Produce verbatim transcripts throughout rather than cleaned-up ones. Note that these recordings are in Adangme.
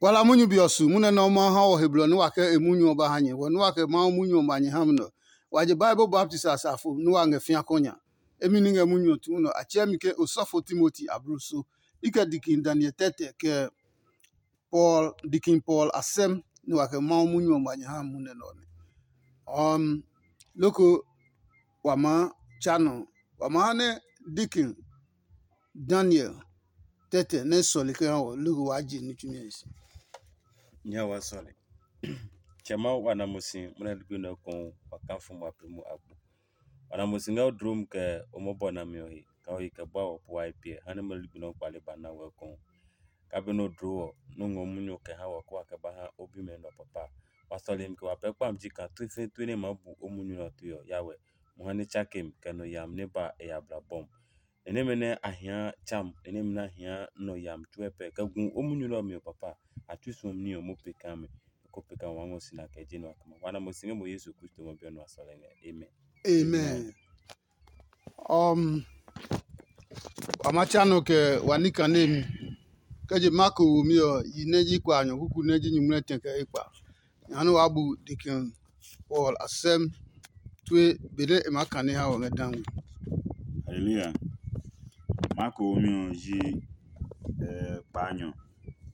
Wa la munyu be ɔ su, munyu nɛ Mawu ha wɔ he blɔ nɛ wa kɛ e munyu ɔ ba ha nyɛ. Wɔ nɛ wa kɛ Mawu munyu ɔ ma nyɛ ha mi nɛ ɔ, wa je Bible baptisi a safo nɛ wa ngɛ fĩa kɔnya. Emi ni ngɛ munyu ɔ tu nɛ ɔ, a tsɛɛ mi ke osɔfo Timoti abluso. I kɛ dikin Daniel tɛtɛ kɛ Paul, dikin Paul asɛm nɛ wa kɛ Mawu munyu ɔ ma nyɛ ha mi munyu nɛ ɔ nɛ. Um, loko wa maa tsa nɔ, wa maa ha nɛ dikin Daniel tɛtɛ nɛ sɔle kɛ ha wɔ, loko waa je ní tsumi ɔ se. Nya wa sɔle. Tsɛ Mawu, wa na mo si munɛ ligbi nɛ kɔn wa ka fu ma pe mu agbo. Wa na mo si ngɛ o dlom kɛ o mɔbɔ nami ɔ he, kɛ o he kɛ bua wɔ po wa he piɛ, ha nɛ munɛ ligbi nɛ o kpale ba na wɛ kɔn. Ka be nɛ o dloo ɔ, nɛ o ngɔ munyu kɛ ha wɔ kɛ wa kɛ ba ha o bimɛ nɛ ɔ papa. Wa sɔle mi kɛ wa pɛ kpami ji kaa tue fɛɛ tue nɛ e maa bu o munyu nɛ ɔ tue ɔ ya wɛ. Mo ha nɛ tsake mi kɛ nɔ yami nɛ ba e ya bla bɔm. E nɛmɛ nɛ a hia tsam, e nɛmɛ nɛ a hia nɔ yami tsuɛ pɛ kɛ gu o munyu nɛ ɔ mi ɔ papa. A tui suɔmi ní ɔ mo pe kaa mi, ko pe kaa wa ngɔ si na kɛ je nɔ a kama. Wa na mo si ngɛ mo Yesu Kristo ngɔ bi ɔ nɔ a sɔlɛ ngɛ. Amen. Amen. Um, wa ma tsa nɔ kɛ wa ní kanemi. Kɛ je Marko wo mi ɔ, yi nɛ ji kpa nyɔ kuku nɛ ji nyumu nɛ tɛ kɛ ekpa. Nya nɛ wa bu dikin Paul asɛm tue benɛ e maa kane ha wɔ ngɛ dangmi. Haleluya. Marko wo mi ɔ ji eh, kpa nyɔ.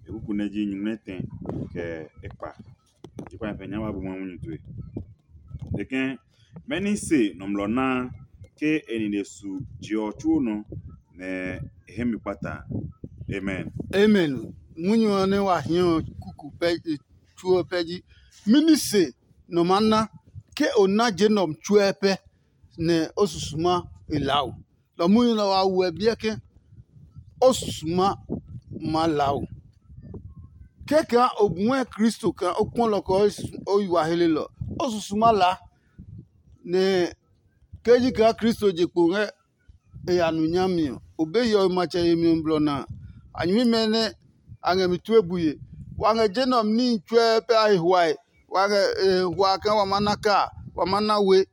E kuku nɛ ji nyumu nɛ tɛ kɛ ekpa. Ji kpa nyɔ pɛ nya wa bu ma munyu tue. E kɛ mɛni se nɔmlɔ naa ke e nine su je ɔ tsuo nɔ nɛ e hɛ mi kpata. Amen. Amen. Munyu ɔ nɛ wa hiɛ ɔ kuku pɛ tsuo pɛ ji mɛni se nɔ maa na ke o na je nɔ tsuɛ pɛ nɛ o susu ma e laa o. Lɔ munyu nɛ wa wuɛ biɛ ke o susu ma ma laa o. Kɛkɛ o ngɔɛ Kristo kaa o kpɔ lɔ kɛ o yi wa helelɔ, o susu ma laa. Nɛ ke ji kaa Kristo je kpo ngɛ e ya nu nyami ɔ, o be hiɔwe matsɛ yemi ɔ blɔ na a. A nyɛmimɛ nɛ a ngɛ mi tue bue. Wa ngɛ je nɛ ɔ mi níhi tsuɛ pɛ a he huae. Wa ngɛ e hua kaa wa ma na kaa, wa ma na we,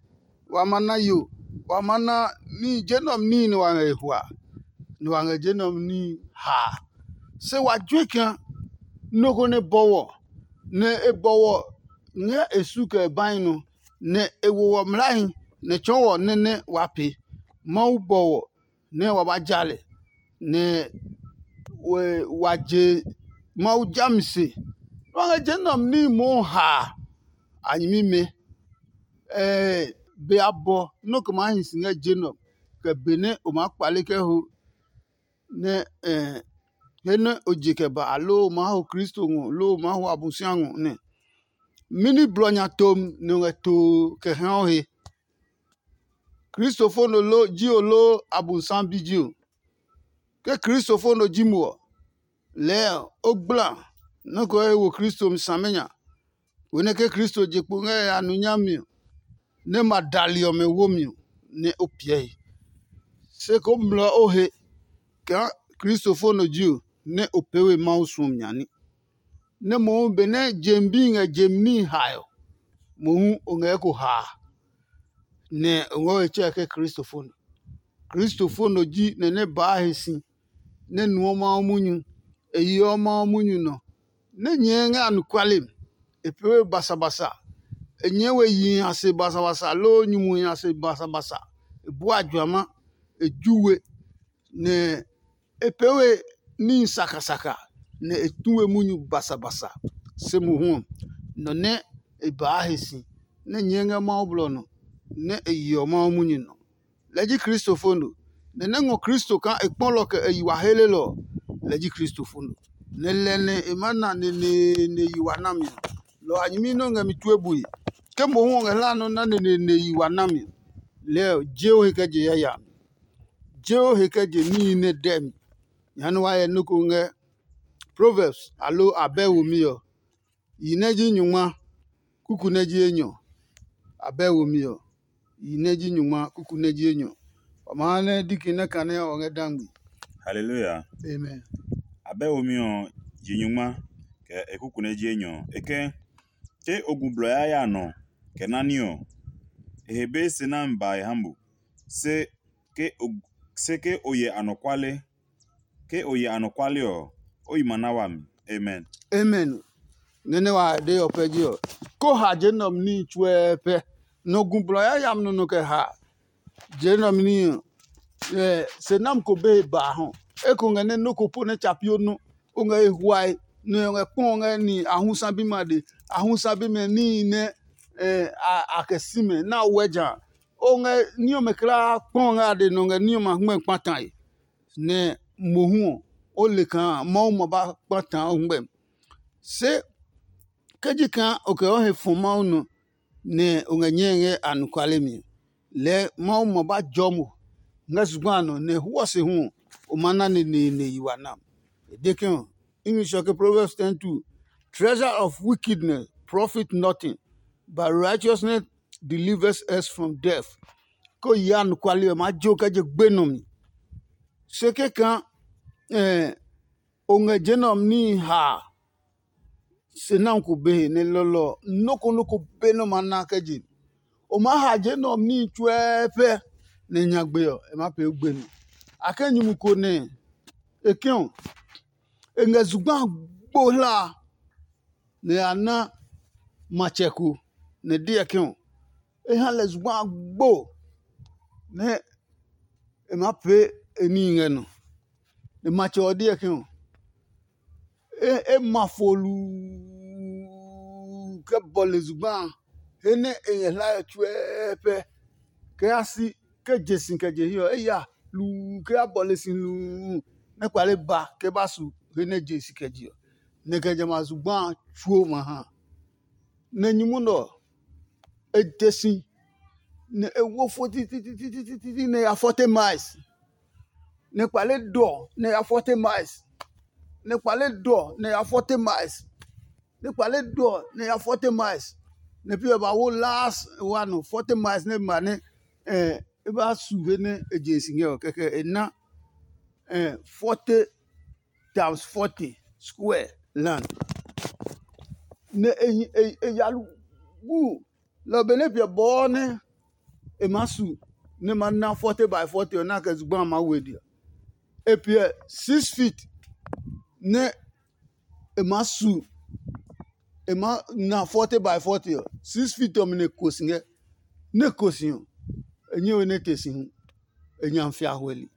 wa ma na yo, wa ma na níhi je nɛ ɔ mi níhi nɛ wa ngɛ e hua, nɛ wa ngɛ je nɛ ɔ mi níhi haa. Se wa jue kaa nɔ ko nɛ bɔwɔ, nɛ e bɔwɔ ngɛ e su kɛ e bahi nɔ, nɛ e wo wɔ mlahi, nɛ tsɔɔ wɔ nɛ nɛ wa pee. Mawu bɔwɔ nɛ wa ba ja lɛ, nɛ wa je Mawu jami se. Wa ngɛ je nɛ ɔ mi níhi mohu haa a nyɛmimɛ. Be a bɔ nɔ́ kɛ maa hi si ngɛ je nɛ ɔ, kɛ benɛ o maa kpale kɛ ho nɛ he nɛ o je kɛ ba, aloo o maa ho Kristo ngɔ, loo o maa ho Abosiami ngɔ nɛ. Mɛni blɔ nya tom nɛ o ngɛ too kɛ hɛ o he? Kristofo nɔ lo ji o loo Abosiami bi ji o? Ke Kristofo nɔ ji mo ɔ, lɛɛ o gbla nɔ́ ko he wo Kristo mi samenya. Konɛ ke Kristo je kpo ngɛ ya nu nyami ɔ, nɛ ma dali ɔmɛ womi ɔ, nɛ o piɛ he. Se ko mlɔ o he kaa Kristofo nɔ ji o, nɛ o pee we Mawu suɔmi nya ní. Nɛ mohu benɛ jemi bi ngɛ jemi níhi hae ɔ, mohu o ngɛ eko haa, nɛ o ngɔ we tsɛɛ ke Kristofo nɔ. Kristofo nɔ ji nɛ nɛ baa he si, nɛ nuɔ Mawu munyu, e yeɔ Mawu munyu nɔ, nɛ nyɛɛ ngɛ anɔkuale mi. E pee we basabasa, e nyɛɛ we yihi a se basabasa loo nyumuhi a se basabasa. E bua juama, e ju we, nɛ e pee we níhi sakasaka, nɛ e tu we munyu basabasa. Se mohu ɔ, nɔ nɛ e baa he si, nɛ nyɛɛ ngɛ Mawu blɔ nɔ, nɛ e yeɔ Mawu munyu nɔ. Lɛ ji Kristofo no. Nɛ nɛ ngɔ Kristo kaa e kpɔlɔ kɛ e yi wa helelɔ ɔ, lɛ ji Kristofo no. Nɛ lɛ nɛ e maa na neneene yi wa nami ɔ, lɔ a nyɛmi nɛ o ngɛ mi tue bue. Ke mohu ɔ ngɛ hla nɔ́ na neneene yi wa nami ɔ, lɛɛ ɔ, je o he kɛ je yayami. Je o he kɛ je níhi nɛ dɛ mi. Jehanɛ wa hyɛ nɔ́ ko ngɛ Proverbs aloo abɛ womi ɔ, yi nɛ ji nyungma, kuku nɛ ji enyɔ. Abɛ womi ɔ, yi nɛ ji nyungma, kuku nɛ ji enyɔ. Wa ma ha nɛ diki nɛ kane ɔ ngɛ dangbi. Haleluya. Amen. Abɛ womi ɔ ji nyungma kɛ e kuku nɛ ji enyɔ. E kɛ, ke o gu blɔ yaya nɔ kɛ nani ɔ, e he be se nami ba e ha mo. Se ke o se ke o hyɛ anɔkuale, ke o hyɛ anɔkuale ɔ, o yi ma na wami. Amen. Amen. Nɛ nɛ wa de ɔ pɛ ji ɔ, ko ha je nɛ ɔ mi níhi tsuɛ pɛ. Nɔ gu blɔ yayami nɔ nɔ kɛ ha je nɛ ɔ mi níhi ɔ. Se nam ko be he ba hɔ. Eko ngɛ nɛ nɔ ko po nɛ tsapi o nɔ. O ngɛ e huae nɛ o ngɛ kpɔ ngɛ ni ahusa bi ma de. Ahusa bi mɛ níhi nɛ a kɛ si mɛ na wɛ ja. O ngɛ ní ɔmɛ kulaa kpɔ ngɛ a de nɔ ngɛ ní ɔmɛ a hmɛ kpatae. Nɛ mohu ɔ, o le kaa Mawu ma ba kpata o ngmɛmi. Se ke ji kaa o kɛ o he fɔ Mawu nɔ, nɛ o ngɛ nyɛe ngɛ anɔkuale mi ɔ, lɛɛ Mawu ma ba jɔ mo ngɛ zugba a nɔ, nɛ hwɔ se hu ɔ, o ma na neneene yi wa nam. E de ke ɔ, English ɔ ke Proverbs ten two, treasure of wickedness profit nothing, but righteousness delivers us from death. Ko yi anɔkuale ɔ maa je o kɛ je gbe nɔ mi. Se kɛkã o ngɛ je nɛ ɔ níhi ha a, se nami ko be he nɛ lɔlɔ ɔ, nɔ́ ko nɔ́ ko be nɛ o ma na kɛ je. O maa ha je nɛ ɔ níhi tsuɛɛ pɛ, nɛ nyagbe ɔ, e maa pee o gbe nɔ. A kɛ nyumu ko nɛ e kɛ ɔ, e ngɛ zugba a gbo hla a, nɛ a na matsɛ ko, nɛ e deɔ ke ɔ, e ha lɛ zugba a gbo nɛ e maa pee e níhi ngɛ nɔ. Nɛ matsɛ ɔ deɔ ke ɔ, e ma fo luu kɛ bɔle zugba a, he nɛ e ngɛ hlae ɔ tsuɛɛ pɛ. Kɛ ya si ke je si kɛ je hiɛ ɔ, e ya luu kɛ ya bɔle si luu nɛ kpale ba kɛ ba su he nɛ je si kɛ je ɔ. Nɛ kɛ jamɛ a zugba a tsuo ma ha. Nɛ nyumu nɛ ɔ, e te si, nɛ e wo fo tititititi nɛ ya forty miles. Nɛ kpale dɔ nɛ ya forty miles. Nɛ kpale dɔ nɛ ya forty miles. Nɛ kpale dɔ nɛ ya forty miles. Nɛ pi ɔ ba wo last one forty miles nɛ ma nɛ e ba su he nɛ e je si ngɛ ɔ, kɛkɛ e na forty times forty square land. Nɛ e ya wu lɔ benɛ piɛ bɔɔ nɛ e maa su nɛ ma na forty by forty ɔ, nɛ a kɛ zugba a maa we dia. E piɛ six feet nɛ e maa su, e maa na forty by forty ɔ, six feet ɔmɛ nɛ e ko si ngɛ. Nɛ e ko si ɔ, e nyɛ we nɛ e te si hu, e nya fia hwɛli,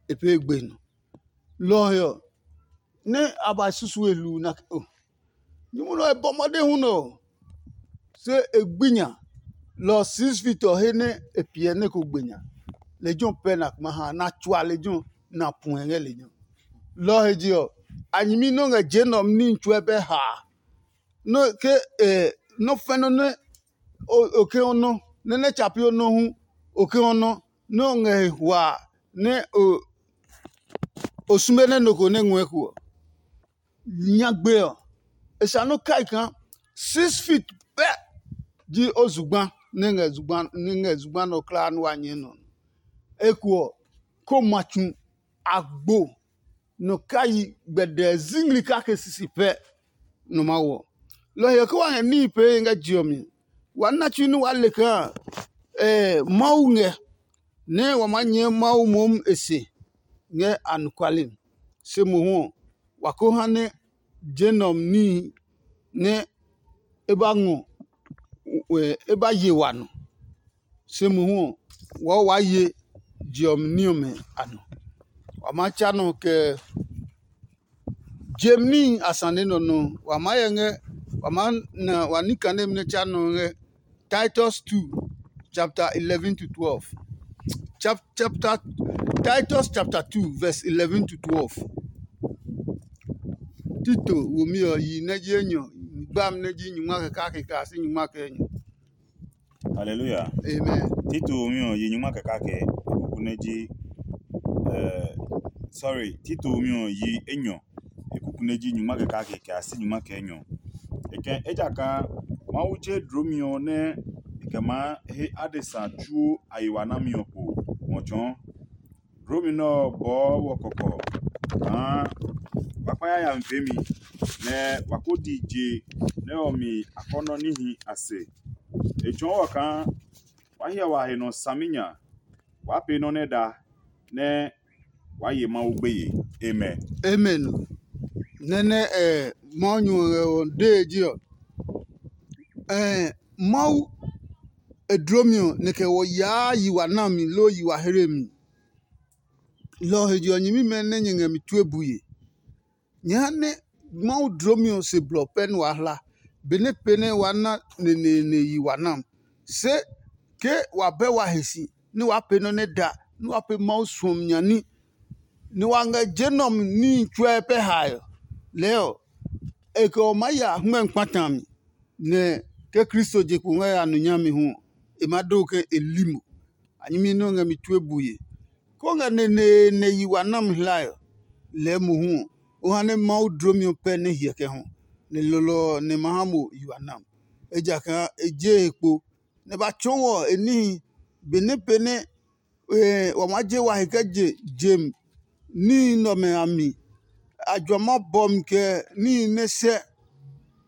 e pee gbe nɔ. Lɔ ɔ he ɔ, nɛ a ba susu e hluu na ke o, nyumu nɛ ɔ e bɔ mɔde hu nɛ ɔ, se e gbi nya. Lɔ ɔ six feet ɔ he nɛ e piɛ nɛ ko gbe nya. Lejɛ ɔ pɛ na kuma ha na tsua lejɛ ɔ na puɛ ngɛ lejɛ ɔ. Lɔ ɔ he je ɔ, a nyɛmi nɛ o ngɛ je nɛ ɔ ní tsuɛ bɛ haa. Nɔ ke nɔ fɛnɔ nɛ o ke o nɔ nɛ nɛ tsapi o nɔ hu o ke o nɔ nɛ o ngɛ he hua nɛ o o sume nɛ nɔ ko nɛ ngɔɛ ko ɔ. Nyagbe ɔ, e sa nɔ kai kaa six feet pɛ ji o zugba nɛ ngɛ zugba nɛ ngɛ zugba nɔ kulaa nɛ wa nyɛɛ nɔ. Eko ɔ, ko ma tsu agbo nɔ kai gbɛdɛɛ zingli kake sisi pɛ nɔ ma wɔ. Lɔ ɔ he ɔ, ke wa ngɛ níhi pee ngɛ je ɔ mi, wa na tsu nɛ waa le kaa Mawu ngɛ nɛ wa maa nyɛɛ Mawu mohu e se ngɛ anɔkuale mi. Se mohu ɔ, wa ko ha nɛ je nɛ ɔ mi níhi nɛ e ba ngɔ e ba ye wa nɔ. Se mohu ɔ, wɔɔ waa ye je ɔ mi ní ɔmɛ a nɔ. Wa maa tsa nɔ kɛ je mi níhi a sane nɔ nɔ. Wa maa hyɛ ngɛ wa maa na wa ní kane nɛ tsa nɔ ngɛ Titus two chapter eleven to twelve. Chap, chapter Titus chapter two verse eleven to twelve. Tito womi ɔ yi nɛ ji enyɔ, gbami nɛ ji nyungma kɛ kake kaa si nyungma kɛ enyɔ. Hallelujah. Amen. Tito womi ɔ yi nyungma kɛ kake, kuku nɛ ji eh, sorry, Tito womi ɔ yi enyɔ, e kuku nɛ ji nyungma kɛ kake kɛ a si nyungma kɛ enyɔ. E kɛ ejakaa Mawu je dlomi ɔ nɛ e kɛ maa he adesa tsuo a yi wa nami ɔ po ngɔ tsɔɔ. Dlomi nɛ ɔ bɔɔ wɔ kɔkɔ kaa wa kpa yayami peemi, nɛ wa ko di je nɛ ɔ mi akɔnɔ níhi a se. E tsɔɔ wɔ kaa wa hyɛ wa he nɔ saminya, waa pee nɔ́ nɛ da, nɛ waa ye Mawu gbeye. Amen. Amen. Nɛ́ nɛ ɛ Mawu nyuɔ ngɛ ɔ dee ji ɔ, ɛɛ Mawu e dlomi ɔ nɛ kɛ wɔ yaa yi wa nami loo yi wa hlemi. Lɔ ɔ he je ɔ, nyɛmimɛ nɛ nyɛ ngɛ mi tue bue. Nyɛ ha nɛ Mawu dlomi ɔ se blɔ pɛ nɛ waa hla, benɛ pee nɛ waa na neneene yi wa nam. Se ke wa bɛ wa he si nɛ waa pee nɔ́ nɛ da nɛ waa pee Mawu suɔmi nya ní, nɛ wa ngɛ je nɛ ɔ mi níhi tsuɛ pɛ hae ɔ, lɛɛ ɔ, e kɛ ɔ maa ya hɛngmɛ kpata a mi, nɛ ke Kristo je kpo ngɛ ya nɔ nyami hu ɔ, e maa do ke e li mo. A nyɛmi nɛ o ngɛ mi tue bue. Kó ngɛ neneene yi wa nami hlae ɔ, lɛɛ mohu ɔ, o ha nɛ Mawu dlomi ɔ pɛ nɛ hyɛ kɛ hɔ, nɛ lɔlɔ ɔ nɛ ma ha mo yi wa nam. Ejakaa e je he kpo, nɛ ba tsɔɔ wɔ e níhi benɛ pee nɛ wa maa je wa he kɛ je jem níhi nɛ ɔmɛ a mi. A jua ma bɔ mi kɛ níhi nɛ sɛ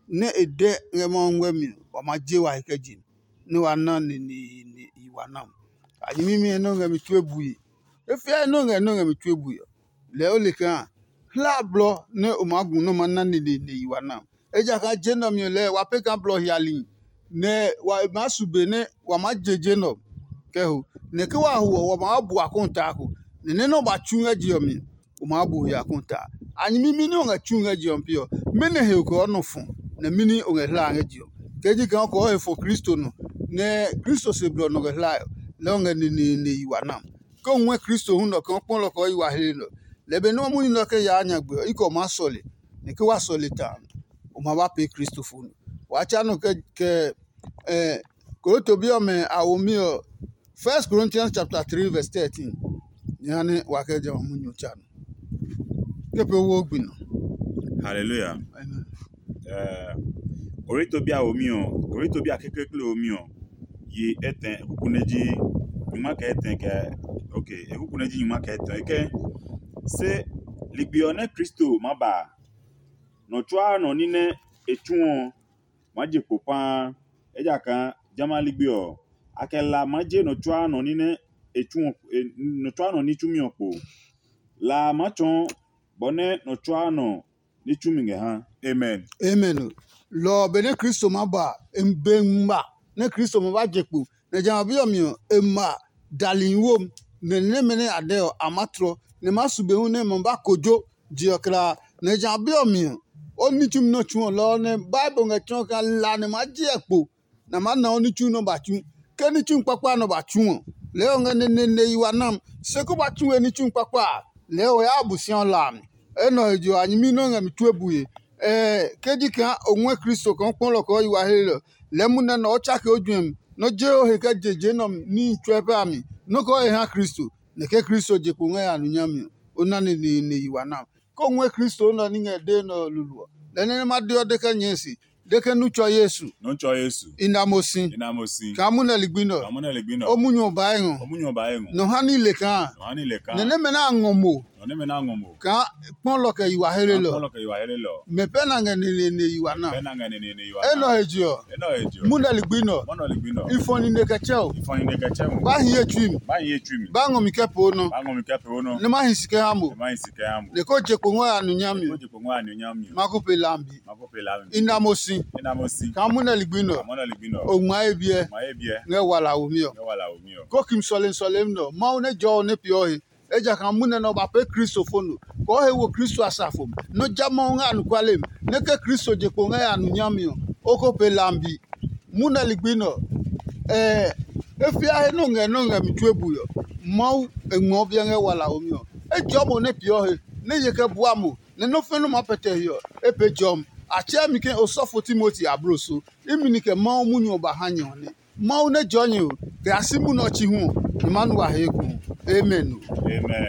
nɛ e dɛ ngɛ Mawu ngmɛ́ mi ɔ, wa maa je wa he kɛ je nɛ wa na neneene yi wa nam. A nyɛmimɛ nɛ o ngɛ mi tue bue. E fiae nɛ o ngɛ nɛ o ngɛ mi tue bue ɔ, lɛɛ o le kaa hlaa blɔ nɛ o maa gu nɛ o maa na neneene yi wa nam. Ejakaa je nɛ ɔ mi ɔ lɛɛ wa pee kaa blɔ hiali, nɛ wa maa su be nɛ wa maa je je nɛ ɔ kɛ ho. Nɛ ke wa ho ɔ, wa maa bua kɔntaa ko, nɛ nɛ nɛ o ba tsu ngɛ je ɔ mi ɔ, o maa bu he a kɔntaa. A nyɛmimi nɛ o ngɛ tsu ngɛ je ɔ mi pe ɔ, mɛnɔ he o kɛ o nɔ fɔ, nɛ mɛni o ngɛ hlaa ngɛ je ɔ? Kɛ ji kaa o kɛ o he fɔ Kristo nɔ, nɛ Kristo se blɔ nɔ kɛ hlae ɔ, lɛɛ o ngɛ neneene yi wa nam. Ke o ngɔɛ Kristo hu nɔ ɔ, kɛ o kpɔ lɛ ɔ kɛ o yi wa hle nɛ ɔ, lɛ benɛ o munyu nɛ ɔ kɛ yaa nyagbe ɔ, i kɛ o maa sɔle, nɛ ke wa sɔle ta a, o ma ba pee Kristo fo nɔ. Waa tsa nɔ kɛ kɛ Korinto bi ɔmɛ a womi ɔ, First Corinthians chapter three verse thirteen. Jehanɛ wa kɛ jamɛ a munyu tsa nɔ. Ke pee wo gbi nɔ. Hallelujah. Amen. Eh, Korinto bi a womi ɔ, Korinto bi a kekleekle womi ɔ, yi etɛ, e kuku nɛ ji nyuma kɛ etɛ kɛ, okay, e kuku nɛ ji nyuma kɛ etɛ. E kɛ, se ligbi ɔ nɛ Kristo ma ba a, nɔ tsuaa nɔ ní nɛ e tsu ɔ, maa je kpo paa, ejakaa jamɛ a ligbi ɔ, a kɛ la maa je nɔ tsuaa nɔ ní nɛ e tsu ɔ, nɔ tsuaa nɔ ní tsumi ɔ kpo. La a maa tsɔɔ bɔ nɛ nɔ tsuaa nɔ ní tsumi ngɛ ha. Amen. Amen. Lɔ ɔ, benɛ Kristo ma ba a, e be ngma nɛ Kristo ma ba je kpo, nɛ jamɛ a bi ɔ mi ɔ, e ma dali wo, nɛ nɛmɛ nɛ a dɛ ɔ, a maa tlɔ, nɛ ma su be hu nɛ ma ba kojo je ɔ kla. Nɛ jamɛ a bi ɔ mi ɔ, o ní tsumi nɛ o tsu ɔ lɔ ɔ nɛ Bible ngɛ tsɔɔ kaa la nɛ ma ji ɛ kpo, nɛ a maa na o ní tsu nɛ o ba tsu. Ke ní tsu kpakpa nɛ o ba tsu ɔ, lɛɛ o ngɛ neneene yi wa nam. Se ko ba tsu we ní tsu kpakpa a, lɛɛ o ya Abosiaɔ la a mi. Enɛ ɔ he je ɔ, a nyɛmi nɛ o ngɛ mi tue bue. Ɛɛ, ke ji kaa o ngɔɛ Kristo kaa o kpɔ lɛ ɔ kɛ o yi wa hlelɔ, lɛɛ munɛ nɛ o tsake o juɛmi, nɛ o je o he kɛ je je nɛ ɔ níhi tsuɛ pɛ a mi, nɔ́ kɛ o he ha Kristo, nɛ ke Kristo je kpo ngɛ ya nɔ nyami ɔ, o na neneene yi wa nam. Ke o ngɔɛ Kristo nɛ ɔ ní ngɛ dee nɛ ɔ lulu ɔ, lɛ nɛ nɛ ma de ɔ de kɛ nyɛɛ se, de ke nu tsɔ Yesu. Nu tsɔ Yesu. I na mo si. I na mo si. Kaa munɛ ligbi nɛ ɔ. Kaa munɛ ligbi nɛ ɔ. O munyu ɔ ba e ngɔ. O munyu ɔ ba e ngɔ. Nɔ ha ní le kaa. Nɔ ha ní le kaa. Nɛ nɛmɛ nɛ a ngɔ mo. Nɔ nɛmɛ nɛ a ngɔ mo. Kaa kpɔlɔ kɛ yi wa hele lɔ. Kpɔlɔ kɛ yi wa hele lɔ. Mɛ pɛ na ngɛ neneene yi wa na. Pɛ na ngɛ neneene yi wa na. Enɛ ɔ he je ɔ. Enɛ ɔ he je ɔ. Munɛ ligbi nɛ ɔ. Munɛ ligbi nɛ ɔ. I fɔ nine kɛ tsɛ o. I fɔ nine kɛ tsɛ o. Ba hi ye tsui mi. Ba hi ye tsui mi. Ba ngɔ mi kɛ poo nɔ. Ba ngɔ mi kɛ poo nɔ. Nɛ ma hi si kɛ ha mo. Nɛ ma hi si kɛ ha mo. Nɛ ko je kpo ngɔ ya nu nyami. Nɛ ko je kpo ngɔ ya nu nyami. Ma ko pe lambi. Ma ko pe lambi. I na mo si. I na mo si. Kaa munɛ ligbi nɛ ɔ. Kaa munɛ ligbi nɛ ɔ. O ngma ye biɛ. Ngma ye biɛ. Ngɛ wala wo mi ɔ. Ngɛ wala wo mi ɔ. Ko kim sɔlemi sɔlemi nɛ ɔ. Mawu nɛ jɔ ɔ nɛ peeɔ he. Ejakaa munɛ nɛ ɔ ba pee Kristo fo no, kɛ o he wo Kristo asafo mi, nɛ o ja Mawu ngɛ anɔkuale mi, nɛ ke Kristo je kpo ngɛ ya nu nyami ɔ, o ko pee lambi. Munɛ ligbi nɛ ɔ, ɛɛ, e fia he nɛ o ngɛ nɛ o ngɛ mi tue bui ɔ, Mawu e ngmɛɔ biɛ ngɛ walaomi ɔ. Ejɔɔ mo nɛ peeɔ he, nɛ ye kɛ bua mo, nɛ nɔ́ fɛ̃ nɛ o maa pɛtɛ he ɔ, e pee jɔmi. A tsɛɛ mi ke osɔfo Timoti ablo so. Imi ni kɛ Mawu munyu ɔ ba ha nyɛ ɔ nɛ. Mawu nɛ jɔɔ nyɛ ɔ, kɛ ya si munɛ ɔ chi hu ɔ, nyɛ maa nu wa he ekohu. Amen. Amen.